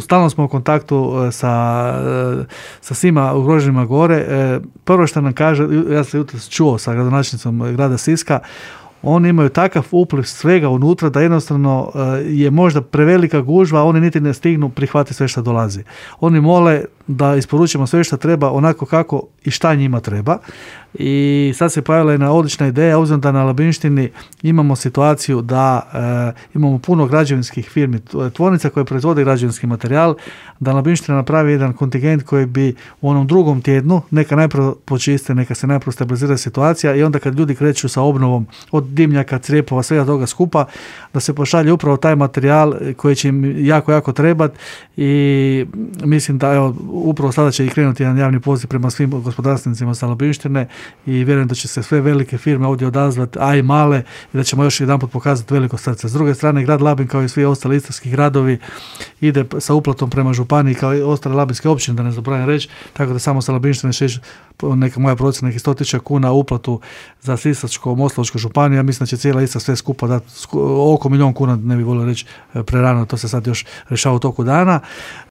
stalno smo u kontaktu sa svima ugroženima gore. Prvo što nam kaže, ja sam jutros čuo sa gradonačelnicom grada Siska, oni imaju takav upliv svega unutra da jednostavno je možda prevelika gužva, a oni niti ne stignu prihvatiti sve što dolazi. Oni mole da isporučimo sve što treba onako kako i šta njima treba. I sad se pojavila jedna odlična ideja, uzmem da na Labinštini imamo situaciju da imamo puno građevinskih firmi, tvornica koje proizvode građevinski materijal, da Labinština napravi jedan kontingent koji bi u onom drugom tjednu neka najprije počiste, neka se najprije stabilizira situacija i onda kad ljudi kreću sa obnovom od dimnjaka, crijepova, svega toga skupa, da se pošalje upravo taj materijal koji će im jako, jako trebati i mislim da evo, upravo sada će i krenuti jedan javni poziv prema svim gospodarstvenicima sa Labinštine i vjerujem da će se sve velike firme ovdje odazvati, a i male, i da ćemo još jedanput pokazati veliko srce. S druge strane, grad Labin kao i svi ostali istarski gradovi ide sa uplatom prema županiji kao i ostale labinske općine, da ne zaboravim reći, tako da samo sa Labinštine neka moja procjena nekih 100.000 kuna uplatu za Sisačko-moslavačku županiju. Ja mislim da će cijela Istra sve skupa dati oko 1 milijun kuna, ne bih volio reći prerano, to se sad još rješava u toku dana.